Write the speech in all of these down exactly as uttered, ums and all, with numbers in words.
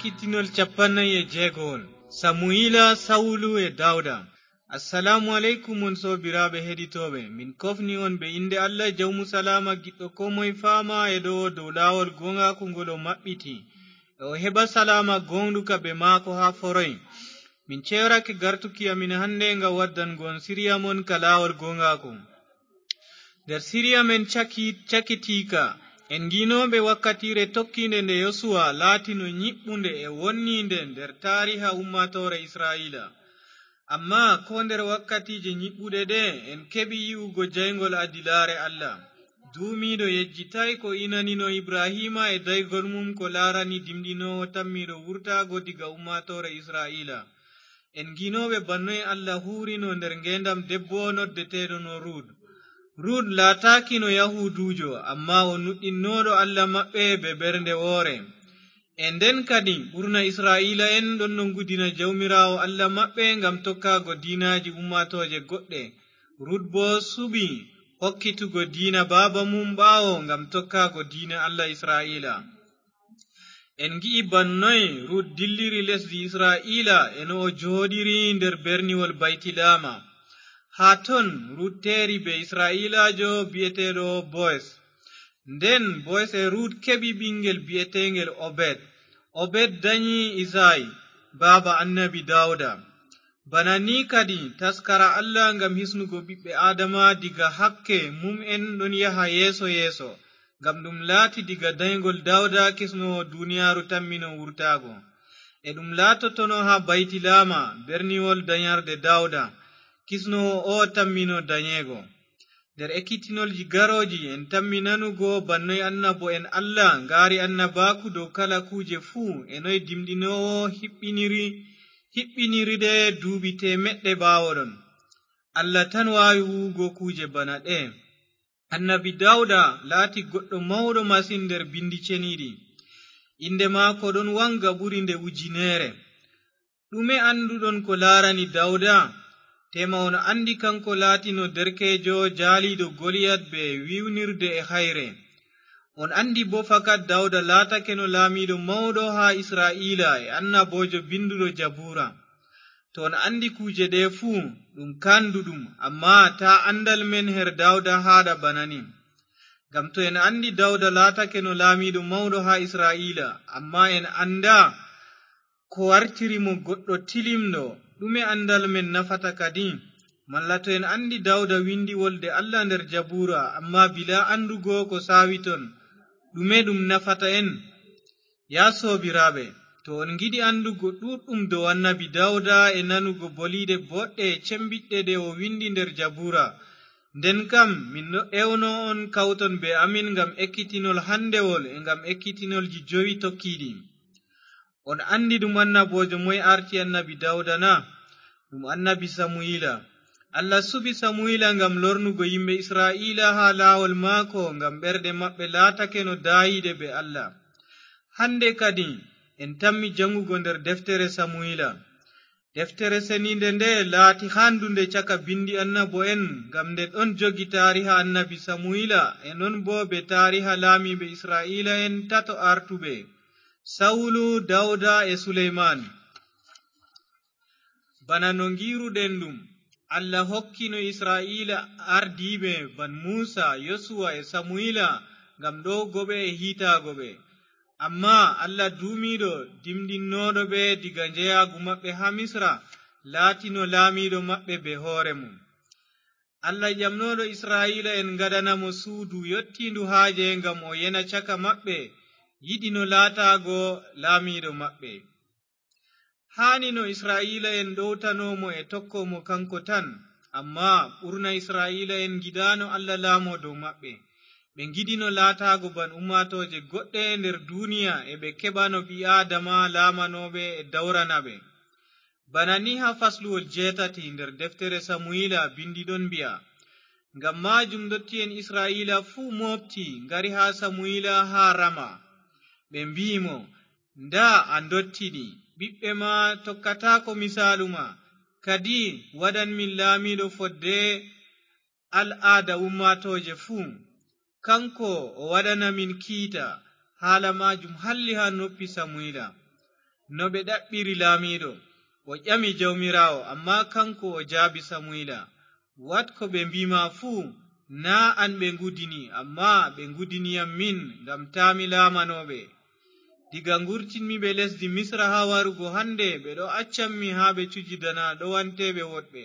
Kittinol capannayi e jeegowol. Samuyila, Sawulu e Dawda. Assalaamu aleykum, on soobiraaɓe heɗitooɓe. Min kofni on be innde Allah, Jawmu Salaama, giɗɗo koo moye faama e ɗo'o dow laawol gooŋgaaku ngol o maɓɓiti. E o heɓa salaama gooŋɗuka be maako haa foroy. Min ceyorake gartuki amin hande ngam waddango on siriya mon ka laawol gooŋgaaku. Nder siriya men caki-, cakitiika, en ngiinooɓe wakkatiire tokkiinde nde Yosuwa laatino nyiɓɓunde e wonniinde nder taariha ummaatoore Isra'iila. Ammaa koo nder wakkatiije nyiɓɓuɗe ɗe, en keɓi yi'ugo jayŋgol adilaare Allah. Duumiiɗo yejjitaay ko inanino Ibrahiima e daygol mum ko laarani dimɗinoowo tammiiɗo wurtaago diga ummaatoore Isra'iila. En ngiinooɓe bana noy Allah huurino nder ngeendam debbo noddeteeɗo no Rut. Rut laataakino Yahuuduujo, ammaa o nuɗɗinnooɗo Allah maɓɓe be ɓernde woore. E nden kadi, ɓurna Isra'iila'en ɗonno ngudina Jawmiraawo Allah maɓɓe ngam tokkaago diinaaji ummaatooje goɗɗe. Rut boo suɓi hokkitugo diina baaba mum ɓaawo ngam tokkaago diina Allah Isra'iila. En ngi'i bana noy Rut dilliri lesdi Isra'iila e no o jooɗiri nder berniwol Baytilaama. Haa ton Rut teeri be Isra'iilaajo bi'eteeɗo Bo'es. Nden Bo'es e Rut keɓi ɓiŋgel bi'eteeŋgel Obed. Obed danyi Isay, baaba Annabi Dawda. Bana ni kadi, taskara Allah ngam hisnugo ɓiɓɓe Aadama diga hakke mum'en ɗon yaha yeeso-yeeso, ngam ɗum laati diga danyŋgol Dawda kisnoowo duniyaaru tammino wurtaago. E ɗum laatotono haa Baytilaama, berniwol danyarde Dawda, kisnoowo o tammino danyeego. Nder ekkitinolji garooji, en tammi nanugo bana noy annabo'en Allah ngaari annabaaku dow kala kuuje fuu, e noy dimɗinoowo hiɓɓiniri, hiɓɓiniri ɗe duuɓi teemeɗɗe ɓaawoɗon. Allah tan waawi huuwugo kuuje bana ɗe. Annabi Dawda laati goɗɗo mawɗo masin nder bindi ceniiɗi. Innde maako ɗon waŋga ɓuri nde ujineere. Ɗume annduɗon ko laarani Dawda? Teema on anndi kaŋko laatino derkeejo jaaliiɗo Goliyat bee wiwnirde e hayre. On anndi boo fakat Dawda laatakeno laamiiɗo mawɗo haa Isra'iila e annaboojo binduɗo Jabuura. To on anndi kuuje ɗe fuu, ɗum kaanduɗum, ammaa taa anndal men her Dawda haaɗa bana ni. Ngam to en anndi Dawda laatakeno laamiiɗo mawɗo haa Isra'iila, ammaa en anndaa ko wartiri mo goɗɗo tilimɗo, ɗume anndal men nafata kadi? Malla to en anndi Dawda windi wolde Allah nder Jabuura, ammaa bilaa anndugo ko saawi ton, ɗume ɗum nafata en? Yaa soobiraaɓe, to on ngiɗi anndugo ɗuuɗɗum dow annabi Dawda e nanugo boliiɗe boɗɗe e cembiɗɗe ɗe o windi nder Jabuura, nden kam min no ewno on kawton bee amin ngam ekkitinol handewol e ngam ekkitinolji jowi tokkiiɗi. On anndi ɗum annaboojo moy aarti annabi Dawda na? Ɗum annabi Samuyila. Allah suɓi Samuyila ngam lornugo yimɓe Isra'iila haa laawol maako, ngam ɓerɗe maɓɓe laatake no daayiiɗe bee Allah. Hannde kadi, en tammi jaŋgugo nder deftere Samuyila. Deftere seniinde nde laati haandunde caka binndi annabo'en, ngam nde ɗon jogi taariha annabi Samuyila, e non boo bee taariha laamiiɓe Isra'iila'en tato aartuɓe, Sawulu, Dawda e Suleyman. Bana no ngiiruɗen ɗum, Allah hokkino Isra'iila ardiiɓe ban Muusa, Yosuwa e Samuyila ngam ɗowgo ɓe e hiitaago ɓe. Ammaa Allah duumiiɗo dimɗinnooɗo ɓe diga njeyaagu maɓɓe haa Misra, laatino laamiiɗo maɓɓe bee hoore mum. Allah ƴamnooɗo Isra'iila'en ngaɗana mo suudu yottiindu haaje ngam o yena caka maɓɓe, yiɗino laataago laamiiɗo maɓɓe. Haanino Isra'iila'en ɗowtano mo e tokko mo kaŋko tan, ammaa ɓurna Isra'iila'en ngiɗaano Allah laamo dow maɓɓe. Ɓe ngiɗino laataago ban ummaatooje goɗɗe nder duuniya e ɓe keɓano ɓii-Aadama laamanooɓe e dawrana ɓe. Bana ni haa fasluwol jeetati nder deftere Samuyila bindi ɗon mbi'a, ngam maajum ndotti'en Isra'iila fuu mooɓti ngari haa Samuyila haa Rama. Ɓe mbi'i mo, ndaa, a ndottiɗi, ɓiɓɓe ma tokkataako misaalu ma, kadi waɗan min laamiiɗo fodde al'aada ummaatooje fuu. Kaŋko o waɗana min kiita. Haala maajum halli haa noppi Samuyila. no ɓe ɗaɓɓiri laamiiɗo. O ƴami Jawmiraawo, ammaa kaŋko o jaabi Samuyila, "Waɗ ko ɓe mbi'i ma fuu, naa an ɓe ngudini, ammaa ɓe ngudini yam min, ngam taa mi laamano ɓe. Diga ngurtinmi ɓe lesdi Misra haa warugo hannde, ɓe ɗo accammi haa ɓe cujidana ɗowanteeɓe woɗɓe.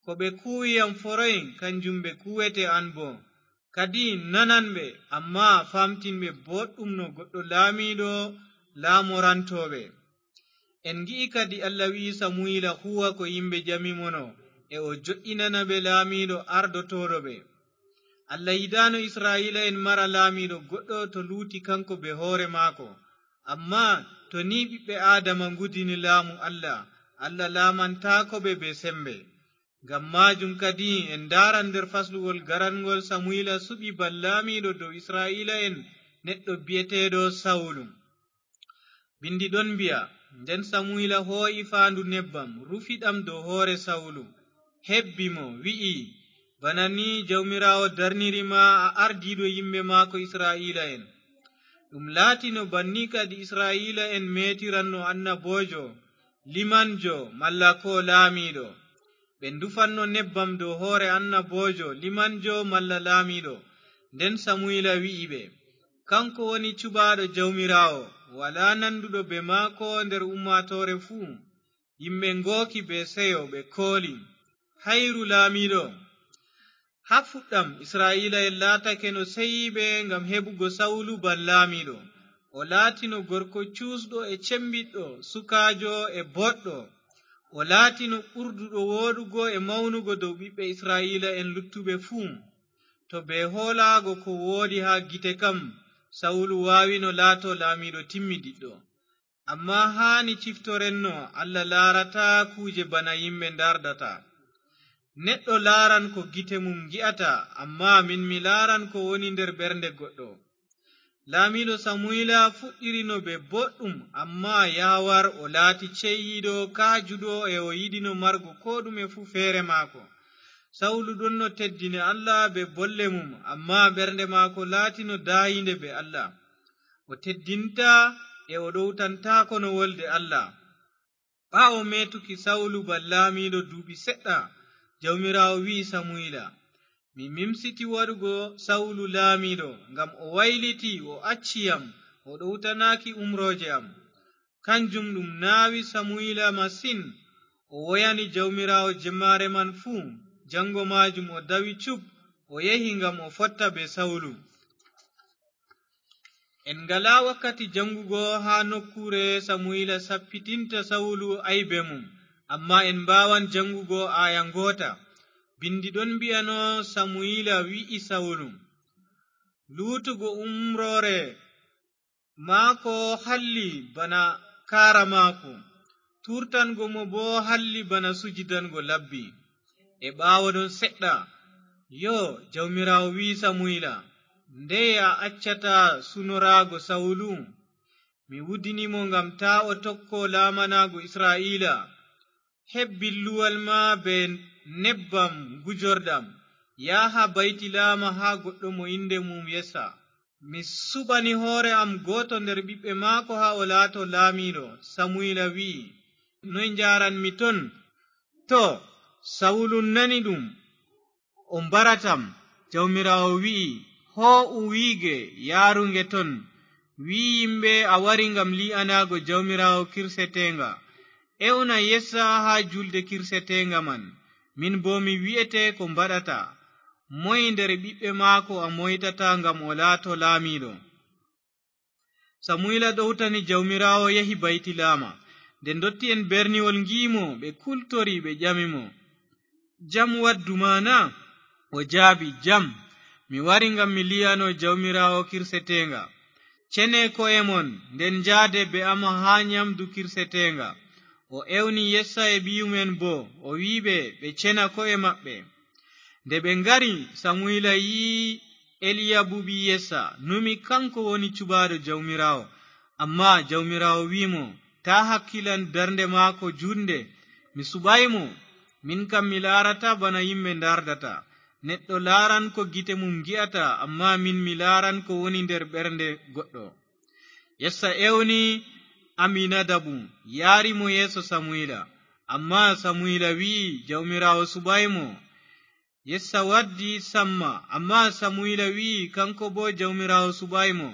Ko ɓe kuuwi yam foroy, kanjum ɓe kuuwete an boo. Kadi nanan ɓe, ammaa faamtin ɓe booɗɗum no goɗɗo laamiiɗo laamoranto ɓe." En ngi'i kadi Allah wi'i Samuyila huuwa ko yimɓe ƴami mo no, e o jo'inana ɓe laamiiɗo ardotooɗo ɓe. Allah yiɗaano Isra'iila'en mara laamiiɗo goɗɗo to luuti kaŋko bee hoore maako. Ammaa to ni ɓiɓɓe Aadama ngudini laamu Allah, Allah laamantaako ɓe bee sembe. Ngam maajum kadi en ndaaran nder faslugol garanŋgol Samuyila suɓi ban laamiiɗo dow Isra'iila'en neɗɗo bi'eteeɗo Sawulu. Bindi ɗon mbi'a, nden Samuyila hoo'i faandu nebbam, rufi ɗam dow hoore Sawulu, hebbi mo, wi'i, "Bana ni Jawmiraawo darniri ma a ardiiɗo yimɓe maako Isra'iila'en." Ɗum laatino banni kadi Isra'iila'en meetiranno annaboojo, limanjo, malla koo laamiiɗo. Ɓe ndufanno nebbam dow hoore annaboojo, limanjo, malla laamiiɗo. Nden Samuyila wi'i ɓe, "Kaŋko woni cuɓaaɗo Jawmiraawo, walaa nanduɗo bee maako nder ummaatoore fuu." Yimɓe ngooki bee seyo, ɓe kooli, "Hayru laamiiɗo!" Haa fuɗɗam, Isra'iila'en laatake no seyiiɓe ngam heɓugo Sawulu ban laamiiɗo. O laatino gorko cuusɗo e cembiɗɗo, sukaajo e boɗɗo. O laatino ɓurduɗo wooɗugo e mawnugo dow ɓiɓɓe Isra'iila'en luttuɓe fuu. To bee hoolaago ko woodi haa gite kam, Sawulu waawino laato laamiiɗo timmidiɗɗo. Ammaa haani ciftoren no Allah laarata kuuje bana yimɓe ndaardata. Neɗɗo laaran ko gite mum ngi'ata, ammaa min mi laaran ko woni nder ɓernde goɗɗo. Laamiiɗo Samuyila fuɗɗirino bee boɗɗum, ammaa yahawar o laati ceyiiɗo, kaajuɗo, e o yiɗino margo koo ɗume fuu feere maako. Sawulu ɗonno teddini Allah bee bolle mum, ammaa ɓernde maako laatino daayiinde bee Allah. O teddintaa e o ɗowtantaako no wolde Allah. Ɓaawo meetuki Sawulu ban laamiiɗo duuɓi seɗɗa, Jawmiraawo wi'i Samuyila, "Mi mimsiti waɗugo Sawulu laamiiɗo, ngam o wayliti, o acci yam, o ɗowtanaaki umrooje am." Kanjum ɗum naawi Samuyila masin. O woyani Jawmiraawo jemmaare man fuu. Jaŋgo maajum o dawi cub, o yehi ngam o fotta bee Sawulu. En ngalaa wakkati jaŋgugo haa nokkuure Samuyila sappitinta Sawulu aybe mum, ammaa en mbaawan jaŋgugo aaya ngoota. Bindi ɗon mbi'ano Samuyila wi'i Sawulu, "Luutugo umroore maako halli bana kaara maako, tuurtango mo boo halli bana sujidango labbi." E ɓaawo ɗon seɗɗa, "Yoo," Jawmiraawo wi'i Samuyila, "ndeye a accata sunoraago Sawulu? Mi wudini mo ngam taa o tokko laamanaago Isra'iila. Heb billuwal ma bee nebbam ngujorɗam, yaha Baytilaama haa goɗɗo mo innde mum Yessa. Mi suɓani hoore am gooto nder ɓiɓɓe maako haa o laato laamiiɗo." Samuyila wi'i, "Noy njaaranmi ton?" Too, Sawulu nani ɗum, o mbaratam. Jawmiraawo wi'i, "Hoo'u wiige, yaaru nge ton. Wi' yimɓe a wari ngam lii'anaago Jawmiraawo kirseteeŋga. Ewna Yessa haa juulde kirseteeŋga man. Min boo mi wi'ete ko mbaɗata. Moy nder ɓiɓɓe maako a moytata ngam o laato laamiiɗo?" Samuyila ɗowtani Jawmiraawo, yehi Baytilaama. Nde ndotti'en berniwol ngi'i mo, ɓe kultori, ɓe ƴami mo, "Jam waddu ma na?" O jaabi, "Jam. Mi wari ngam mi lii'ano Jawmiraawo kirseteeŋga. Cene ko'e mon, nden njaade be am haa nyamdu kirseteeŋga." O ewni Yessa e ɓiyum'en boo, o wi'i ɓe ɓe cena ko'e maɓɓe. Nde ɓe ngari, Samuyila yi'i Eliyabu ɓii Yessa, numi kaŋko woni cuɓaaɗo Jawmiraawo. Ammaa Jawmiraawo wi'i mo, "Taa hakkilan darnde maako juutnde. Mi suɓaay mo. Min kam mi laarataa bana yimɓe ndaardata. Neɗɗo laaran ko gite mum ngi'ata, ammaa min mi laaran ko woni nder ɓernde goɗɗo." Yessa ewni Aminadabu, yaari mo yeeso Samuyila. Ammaa Samuyila wi'i Jawmiraawo suɓaay mo. Yessa waddi Samma, ammaa Samuyila wi'i, kaŋko boo Jawmiraawo suɓaay mo.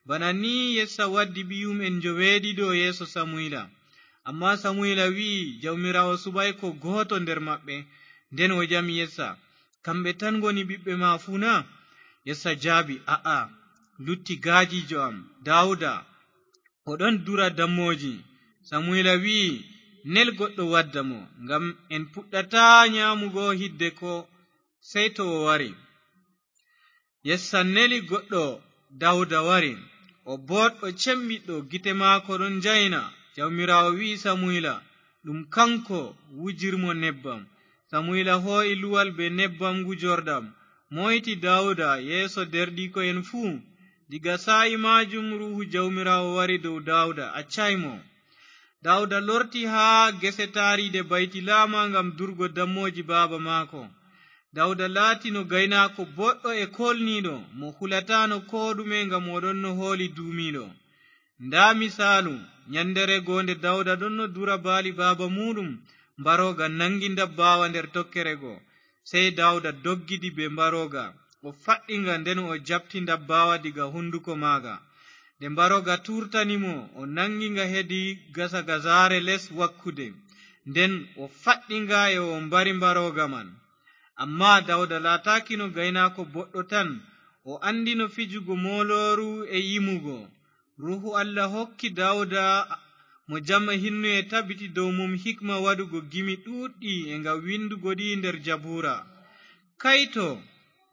Bana ni Yessa waddi ɓiyum'en njoweeɗiɗo yeeso Samuyila. Ammaa Samuyila wi'i, Jawmiraawo suɓaay koo gooto nder maɓɓe. Nden o ƴami Yessa, kamɓe tan ngoni ɓiɓɓe ma fuu na? Yessa jaabi, a'a, lutti gaajiijo am, Daawuda, o ɗon dura dammooji. Samuyila wi'i, nel goɗɗo wadda mo, ngam en puɗɗataa nyaamugo hiddeko sey to o wari. Yessa neli goɗɗo, Daawuda wari. O booɗɗo, cembiɗɗo, gite maako ɗon njayna. Jawmiraawo wi'i Samuyila, ɗum kaŋko, wujir mo nebbam. Samuyila hoo'i luwal bee nebbam ngujorɗam, moyti Daawuda yeeso deerɗiiko'en fuu. Diga saa'i maajum Ruuhu Jawmiraawo wari dow Daawuda, accaay mo. Daawuda lorti haa gese taariiɗe Baytilaama ngam durgo dammooji baaba maako. Daawuda laatino gaynaako booɗɗo e koolniiɗo, mo hulataano koo ɗume ngam o ɗonno hooli duumiiɗo. Ndaa misaalu, nyanndereego nde Daawuda ɗonno dura baali baaba muuɗum, mbarooga naŋgi ndabbaawa nder tokkere go. Sey Daawuda doggidi bee mbarooga, o faɗɗi nga, nden o jaɓti ndabbaawa diga hunduko maaga. Nde mbarooga tuurtani mo, o naŋgi nga hedi gasa gasaare les wakkude. Nden o faɗɗi nga e o mbari mbarooga man. Ammaa Daawuda laataakino gaynaako boɗɗo tan, o anndino fijugo moolooru e yimugo. Ruuhu Allah hokki Daawuda mo jam e hinnu e tabiti dow mum hikma waɗugo gimi ɗuuɗɗi e ngam windugo ɗi nder Jabuura. Kayto!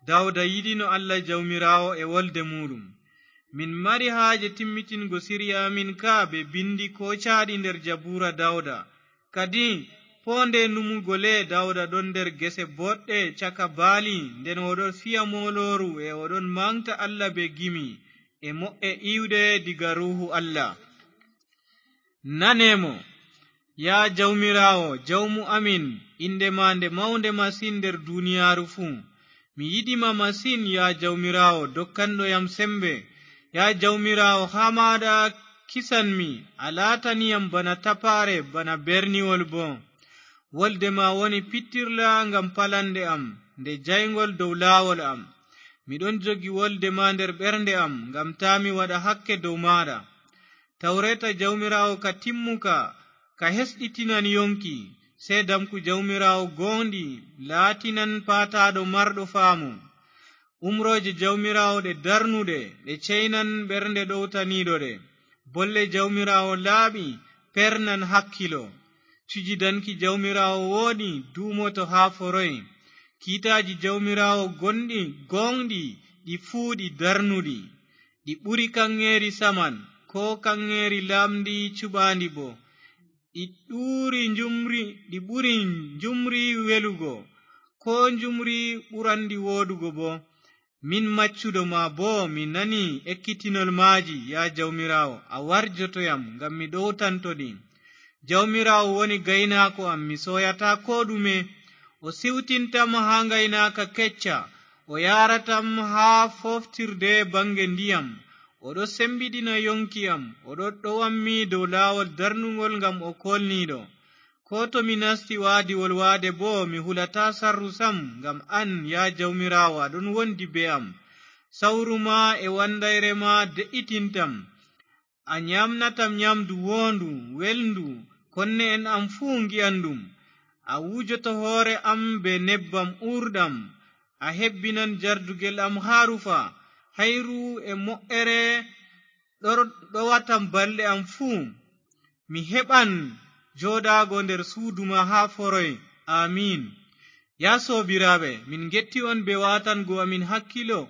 Daawuda yiɗino Allah Jawmiraawo e wolde muuɗum. Min mari haaje timmitingo sirya amin ka bee bindi koocaɗi nder Jabuura Daawuda. Kadi, poonde numugo le, Daawuda ɗon nder gese boɗɗe caka baali, nden o ɗon fiya moolooru e o ɗon maŋgta Allah bee gimi e mo'e iwɗe diga Ruuhu Allah. Nane mo, yaa Jawmiraawo, Jawmu amin, innde ma nde mawnde masin nder duniyaaru fuu. Mi yiɗi ma masin, yaa Jawmiraawo, dokkanɗo yam sembe. Yaa Jawmiraawo, haa maaɗa kisanmi, a laatani yam bana tapaare, bana berniwol boo. Wolde ma woni pittirla ngam palanɗe am, nde jayŋgol dow laawol am. Mi ɗon jogi wolde ma nder ɓernde am, ngam taa mi waɗa hakke dow maaɗa. Tawreeta Jawmiraawo ka timmuka, ka hesɗitinan yoŋki. Seedamku Jawmiraawo gooŋɗi laatinan paataaɗo marɗo faamu. Umrooje Jawmiraawo ɗe darnuɗe, ɗe ceynan ɓernde ɗowtaniiɗo ɗe. Bolle Jawmiraawo laaɓi, pernan hakkilo. Cujidanki Jawmiraawo wooɗi, duumoto haa foroy. Kiitaaji Jawmiraawo gonɗi, gooŋɗi, ɗi fuu ɗi darnuɗi. Ɗi ɓuri kaŋŋeeri saman, koo kaŋŋeeri laaɓndi cuɓaandi boo. Ɗi ɗuri njumri, ɗi ɓuri njumri welugo, koo njumri ɓuranɗi wooɗugo boo. Min maccuɗo ma boo, mi nani ekkitinol maaji, yaa Jawmiraawo, a warjoto yam, ngam mi ɗowtanto ɗi. Jawmiraawo woni gaynaako am, mi sooyataa koo ɗume. O siwtintam haa ngaynaaka kecca, o yaaratam haa fooftirde baŋge ndiyam. O ɗo sembiɗina yoŋki am, o ɗo ɗowammi dow laawol darnuŋgol ngam o koolniiɗo. Koo to mi nasti waadiwol waade boo, mi hulataa sarru sam, ngam an, yaa Jawmiraawo, a ɗon wondi bee am. Sawru ma e wanndayre ma de'itintam. A nyaamnatam nyaamdu woondu, welndu, konne'en am fuu ngi'an ɗum. A wujoto hoore am bee nebbam uurɗam, a hebbinan jardugel am haa rufa, hayru e mo'ere ɗor-, ɗowatam balɗe am fuu. Mi heɓan jooɗaago nder suudu ma haa foroy. Aamiin. Yaa soobiraaɓe, min ngetti on bee waatango amin hakkilo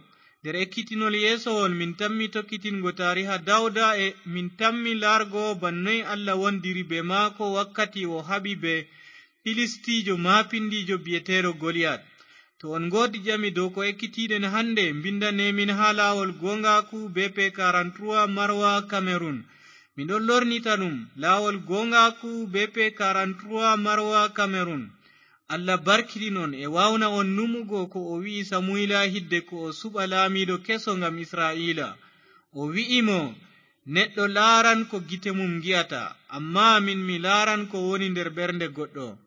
nder ekkitinol yeesowol. Min tammi tokkitingo taariha Dawda e min tammi laargo bannoy Allah wondiri bee maako wakkati o haɓi bee Filistiijo maapindiijo bi'eteeɗo Goliyat. To on ngoodi ƴami dow ko ekkitiiɗen hannde, mbinndane min haa laawol gooŋgaaku B P quarante-trois Marwa Cameroun. Mi ɗon lornita ɗum, laawol gooŋgaaku B P quarante-trois Marwa Cameroun. Allah barkiɗin on e waawna on numugo ko o wi'i Samuyila hidde ko o suɓa laamiiɗo keso ngam Isra'iila. O wi'i mo, Neɗɗo laaran ko gite mum ngi'ata, ammaa min mi laaran ko woni nder ɓernde goɗɗo.